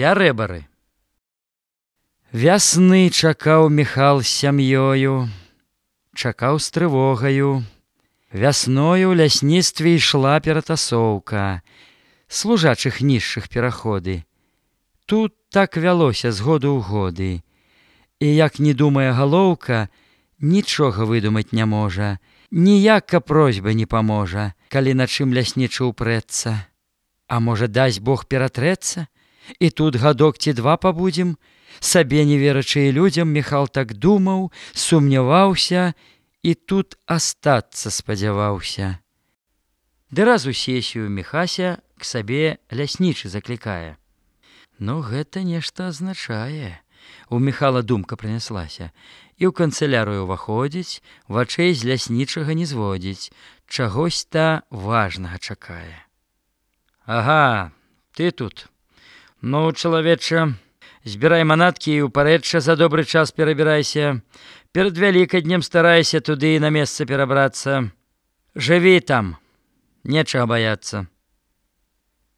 Пярэбары. Вясны чакаў Міхал з сям'ёю, чакаў з трывогаю. Вясною ў лясніцтве ішла ператасоўка, служачых нізшых пераходы. Тут так вялося з году ў годы. І як не думае галоўка, нічога выдумаць не можа, ніяка просьба не паможа, калі на чым ляснічы ўпрэцца. А можа, дасць Бог ператрэцца? І тут гадок ці два пабудзем? Сабе не верачы і людзям, Міхал так думаў, сумняваўся і тут астацца спадзяваўся. Ды раз у сесію Міхася к сабе ляснічы заклікае. Ну, гэта нешта азначае. У Міхала думка прыняслася. І ў канцылярыю ўваходзіць, вачэй з ляснічага не зводзіць, чагось-то важнага чакае. Ага, ты тут. Ну, чалавеча, збірай манаткі і ў парэчча за добры час перабірайся. Перад Вялікаднем старайся туды на месца перабрацца. Жыві там, нечага баяцца.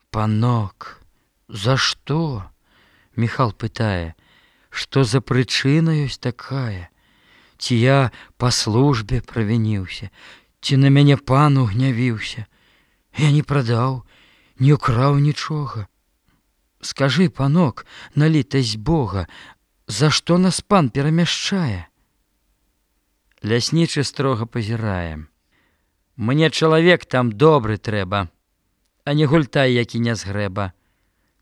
Панок, за што? Міхал пытае. Што за прычына ёсць такая? Ці я па службе правініўся, ці на мяне пан угнявіўся? Я не прадаў, не ўкраў нічога. Скажы, панок, на літасць Бога, за што нас пан перамяшчае? Ляснічы строга пазірае. Мне чалавек там добры трэба, а не гультай, які не згрэба.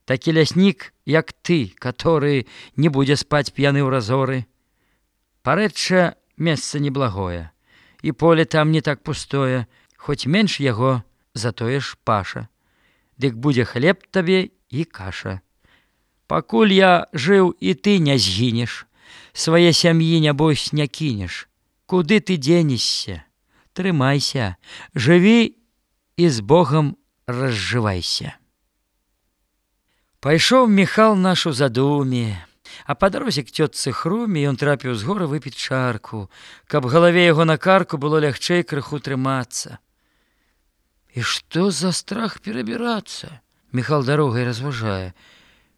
Такі ляснік, як ты, который не будзе спаць п'яны ў разоры. Парэчча месца неблагое, і поле там не так пустое, хоць менш яго, затое ж паша. Дык будзе хлеб табе і каша. Пакуль я жыў, і ты не згінеш, свае сям'і, нябось, не кінеш. Куды ты дзенешся? Трымайся, жыві і з Богам разжывайся. Пайшоў Міхал наш у задуме, а па дарозе к цётцы Хруме ён трапіў з гора выпіць чарку, каб галаве яго на карку было лягчэй крыху трымацца. І што за страх перабірацца? Міхал дарогай разважае.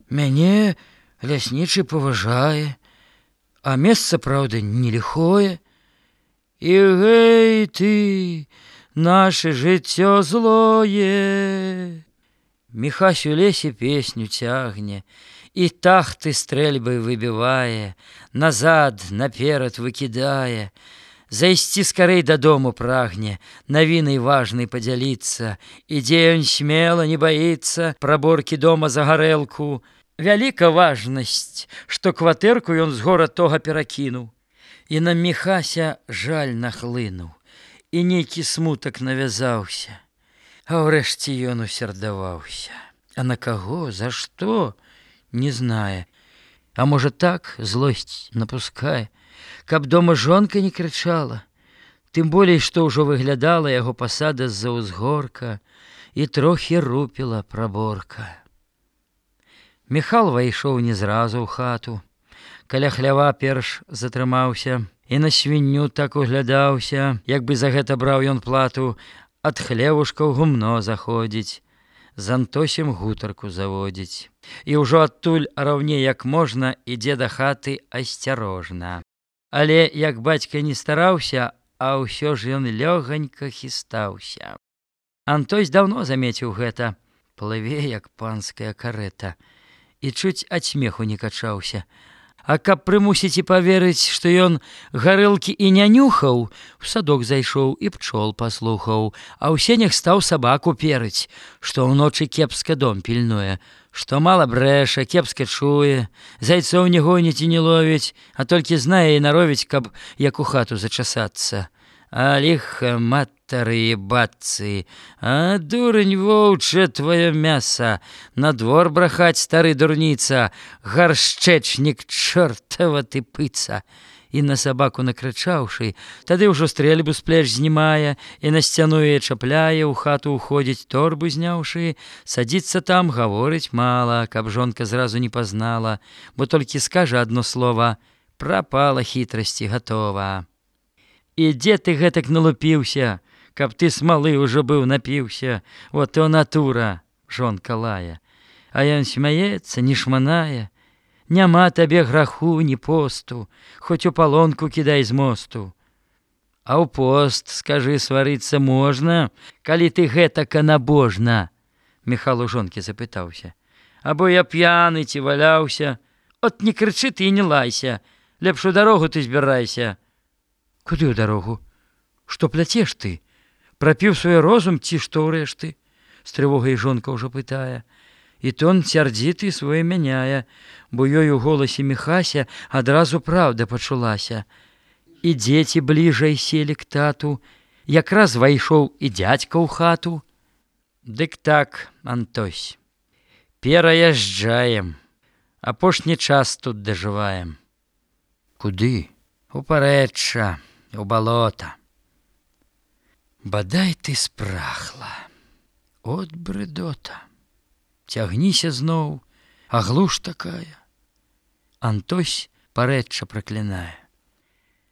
Мяне ляснічы паважае, а месца, праўда, не ліхое. І гэй ты, наше жыццё злое. Міхась у лесе песню цягне, і тахты стрэльбай выбівае, назад, наперад выкідае. Зайсці скарэй дадому прагне, навінай важнай падзяліцца. Ідзе ён смела, не баіцца, праборкі дома за гарэлку. Вяліка важнасць, што кватэрку ён з гора тога перакінуў. І на Міхася жаль нахлынуў, і нейкі смутак навязаўся. А ўрэшце ён усердаваўся. А на каго, за што, не знае. А можа так, злосць напускае, каб дома жонка не крычала. Тым болей, што ўжо выглядала яго пасада з-за ўзгорка, і трохі рупіла праборка. Міхал вайшоў не зразу ў хату. Каля хлява перш затрымаўся, і на свінню так углядаўся, як бы за гэта браў ён плату. Ад хлевушка ў гумно заходзіць, з Антосем гутарку заводзіць. І ўжо адтуль раўней як можна ідзе да хаты асцярожна. Але як бацька не стараўся, а ўсё ж ён лёгонька хістаўся. Антось даўно замеціў гэта, плыве як панская карэта, і чуць ад смеху не качаўся. А каб прымусіць і паверыць, што ён гарэлкі і не нюхаў, у садок зайшоў і пчол паслухаў, а ў сенях стаў сабаку перыць, што ўночы кепска дом пільнуе, што мала брэша, кепска чуе, зайцоў не гоніць і не ловіць, а толькі знае і наровіць, каб як у хату зачасацца. А ліха матары і бацы, а дурань воўча твоё мяса, на двор брахаць, стары дурніца, гаршчэчнік чортава ты пыца. І на сабаку накрычаўшы, тады ўжо стрэльбу з плеч знімае, і на сцяну яе чапляе, у хату ўходзіць, торбу зняўшы, садзіцца там, гаворыць мала, каб жонка зразу не пазнала, бо толькі скажа адно слова: прапала хітрасці гатова. І дзе ты гэтак налупіўся, каб ты смалы ўжо быў напіўся, вот то натура, жонка лае. А ён смяецца, не шманае. Няма табе граху, ні посту, хоць у палонку кідай з мосту. А ў пост, скажы, сварыцца можна, калі ты гэтака набожна? Міхал у жонкі запытаўся. Або я п'яны ці валяўся? От не крычы ты і не лайся, лепш у дарогу ты збірайся. Куды ў дарогу? Што пляцеш ты? Прапіў свой розум ці што ўрэшты? З трывогай жонка ўжо пытае. І тон сярдзіты свой мяняе, бо ёй у голасе Міхася адразу праўда пачулася. І дзеці бліжай селі к тату, якраз вайшоў і дзядзька ў хату. Дык так, Антось, пераязджаем, апошні час тут дажываем. Куды? У парэчча, у балота. Бадай ты спрахла, от брыдота. Цягніся зноў, а глуш такая. Антось парэчча праклінае.